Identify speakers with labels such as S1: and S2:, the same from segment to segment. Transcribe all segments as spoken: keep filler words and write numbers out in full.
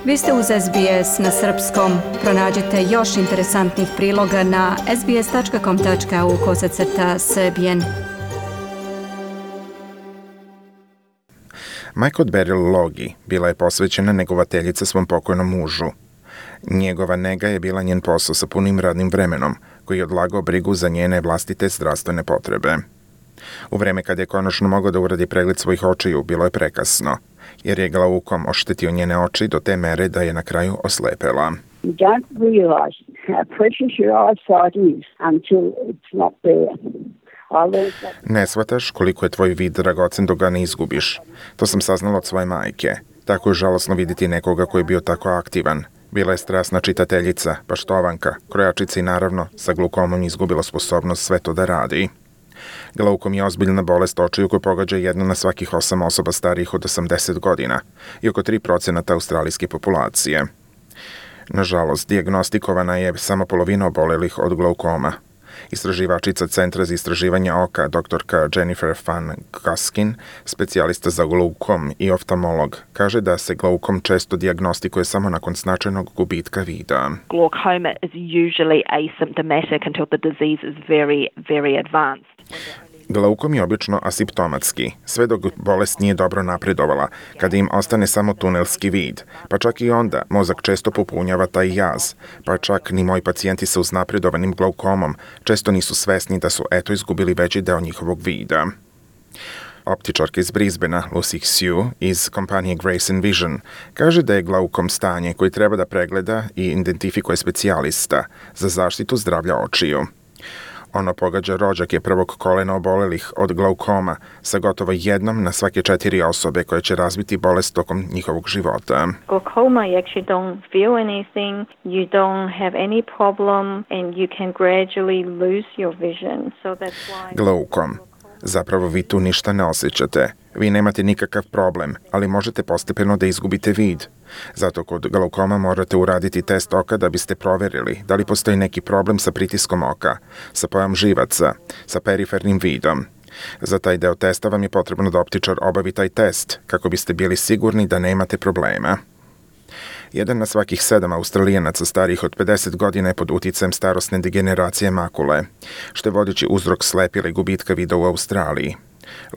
S1: Vi ste uz S B S na srpskom. Pronađite još interesantnih priloga na sbs.com.au kosacrta srbijen.
S2: Majka od Beryl Logi bila je posvećena negovateljica svom pokojnom mužu. Njegova nega je bila njen posao sa punim radnim vremenom, koji je odlagao brigu za njene vlastite zdravstvene potrebe. U vreme kad je konačno mogao da uradi pregled svojih očiju, bilo je prekasno, jer je glaukom oštetio njene oči do te mere da je na kraju oslepela.
S3: You don't realize how precious your eyesight is until it's not there.
S2: Ne shvataš koliko je tvoj vid dragocen dok ga ne izgubiš. To sam saznala od svoje majke. Tako je žalosno vidjeti nekoga koji je bio tako aktivan. Bila je strasna čitateljica, paštovanka, krojačica i naravno sa glaukomom izgubila sposobnost sve to da radi. Glaukom je ozbiljna bolest očiju koju pogađa jedna na svakih osam osoba starijih od osamdeset godina i oko tri procenta australijske populacije. Nažalost, dijagnostikovana je samo polovina obolelih od glaukoma. Istraživačica Centra za istraživanje oka, doktorka Jennifer Van Gaskin, specijalista za glaukom i oftalmolog, kaže da se glaukom često dijagnostikuje samo nakon značajnog gubitka vida.
S4: Glaucoma is usually asymptomatic until the disease is very, very advanced.
S2: Glaukom je obično asimptomatski, sve dok bolest nije dobro napredovala, kada im ostane samo tunelski vid, pa čak i onda mozak često popunjava taj jaz, pa čak ni moji pacijenti sa uznapredovanim glaukomom često nisu svesni da su eto izgubili veći deo njihovog vida. Optičarka iz Brisbanea, Lucy Xu, iz kompanije Grace and Vision, kaže da je glaukom stanje koji treba da pregleda i identifikuje specijalista za zaštitu zdravlja očiju. Ono pogađa rođake prvog kolena obolelih od glaukoma sa gotovo jednom na svake četiri osobe koje će razviti bolest tokom njihovog života.
S5: Glaucoma, you actually don't feel anything, you don't have any problem and you can gradually lose your vision. So that's why...
S2: Glaukom. Zapravo vi tu ništa ne osjećate. Vi nemate nikakav problem, ali možete postepeno da izgubite vid. Zato kod glaukoma morate uraditi test oka da biste proverili da li postoji neki problem sa pritiskom oka, sa pojam živaca, sa perifernim vidom. Za taj deo testa vam je potrebno da optičar obavi taj test, kako biste bili sigurni da nemate problema. Jedan na svakih sedam Australijanaca starijih od pedeset godina je pod uticajem starosne degeneracije makule, što je vodeći uzrok slepila i gubitka vida u Australiji.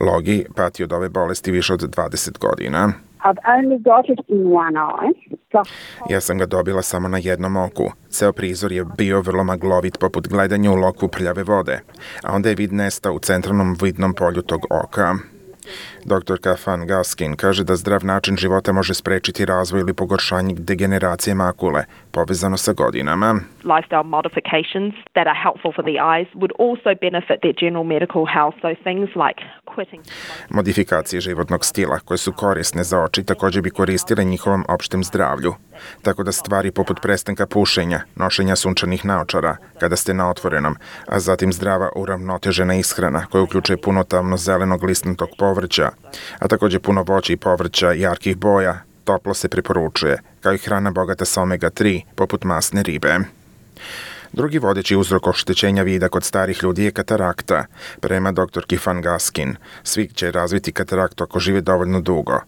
S2: Logi pati od ove bolesti više od dvadeset godina.
S3: I've only got it in one eye.
S2: Ja sam ga dobila samo na jednom oku. Ceo prizor je bio vrlo maglovit poput gledanja u lokvu prljave vode, a onda je vid nestao u centralnom vidnom polju tog oka. Doktorka Van Gaskin kaže da zdrav način života može sprečiti razvoj ili pogoršanje degeneracije makule, povezano sa godinama.
S4: Lifestyle modifications that are helpful for the eyes would also benefit their general medical health, so things like quitting.
S2: Modifikacije životnog stila koje su korisne za oči također bi koristile njihovom opštem zdravlju. Tako da stvari poput prestanka pušenja, nošenja sunčanih naočara kada ste na otvorenom, a zatim zdrava uravnotežena ishrana koja uključuje puno tamno-zelenog listnatog povrća, a također puno voća i povrća jarkih boja, toplo se preporučuje, kao i hrana bogata sa omega tri, poput masne ribe. Drugi vodeći uzrok oštećenja vida kod starih ljudi je katarakta, prema doktorki Van Gaskin. Svi će razviti kataraktu ako žive dovoljno dugo.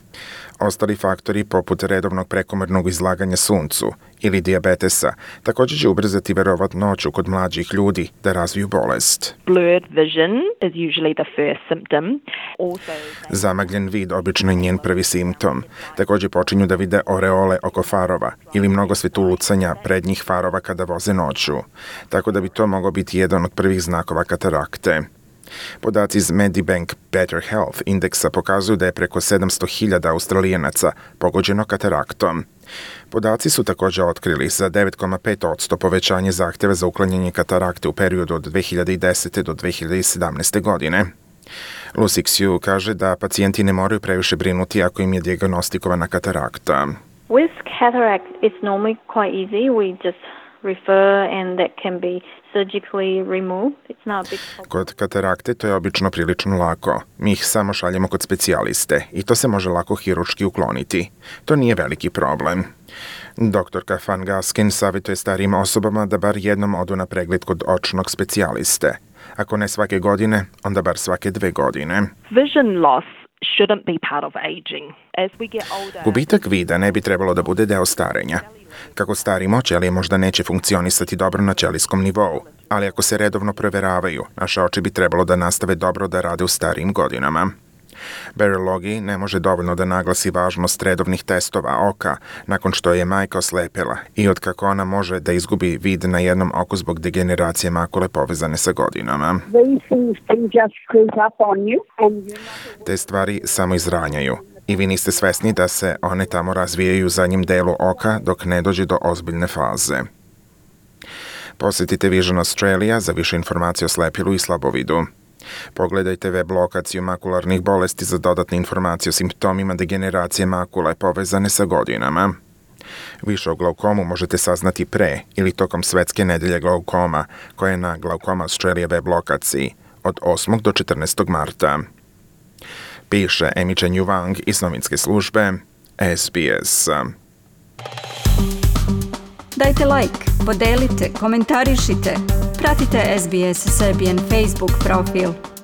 S2: Ostali faktori, poput redovnog prekomernog izlaganja suncu ili dijabetesa, također će ubrzati verovatnoću kod mlađih ljudi da razviju bolest.
S4: Blurred vision is usually the first symptom. Also...
S2: Zamagljen vid obično je njen prvi simptom. Također počinju da vide oreole oko farova ili mnogo svetulucanja prednjih farova kada voze noću. Tako da bi to moglo biti jedan od prvih znakova katarakte. Podaci iz Medibank Better Health indeksa pokazuju da je preko sedamsto hiljada Australijanaca pogođeno kataraktom. Podaci su također otkrili za devet zarez pet posto povećanje zahtjeva za uklanjanje katarakte u periodu od dve hiljade desete do dve hiljade sedamnaeste godine. Lucy Xu kaže da pacijenti ne moraju previše brinuti ako im je dijagnostikovana katarakta.
S5: With cataract, it's normally quite easy. We just refer and that can be surgically removed. It's not a big problem.
S2: Kod katarakte to je obično prilično lako. Mi ih samo šaljemo kod specijaliste i to se može lako hirurški ukloniti. To nije veliki problem. Doktorka Van Gaskin savjetuje starijim osobama da bar jednom odu na pregled kod očnog specijaliste. Ako ne svake godine, onda bar svake dve godine.
S4: Vision loss shouldn't be part of aging. As we get older...
S2: Gubitak vida ne bi trebalo da bude deo starenja. Kako starimo, ćelije možda neće funkcionisati dobro na ćelijskom nivou, ali ako se redovno proveravaju, naše oči bi trebalo da nastave dobro da rade u starijim godinama. Barry Logie ne može dovoljno da naglasi važnost redovnih testova oka nakon što je majka oslepela i od kako ona može da izgubi vid na jednom oku zbog degeneracije makule povezane sa godinama. Te stvari samo izranjaju i vi niste svesni da se one tamo razvijaju u zadnjem delu oka dok ne dođe do ozbiljne faze. Posjetite Vision Australia za više informacije o slepilu i slabovidu. Pogledajte web lokaciju makularnih bolesti za dodatne informacije o simptomima degeneracije makule povezane sa godinama. Više o glaukomu možete saznati pre ili tokom Svetske nedelje glaukoma, koja je na Glaukoma Australia web lokaciji od osmog do četrnaestog marta. Piše Amy Chen Wang iz novinske službe S B S.
S1: Dajte like, podelite, komentarišite, pratite S B S Serbian Facebook profil.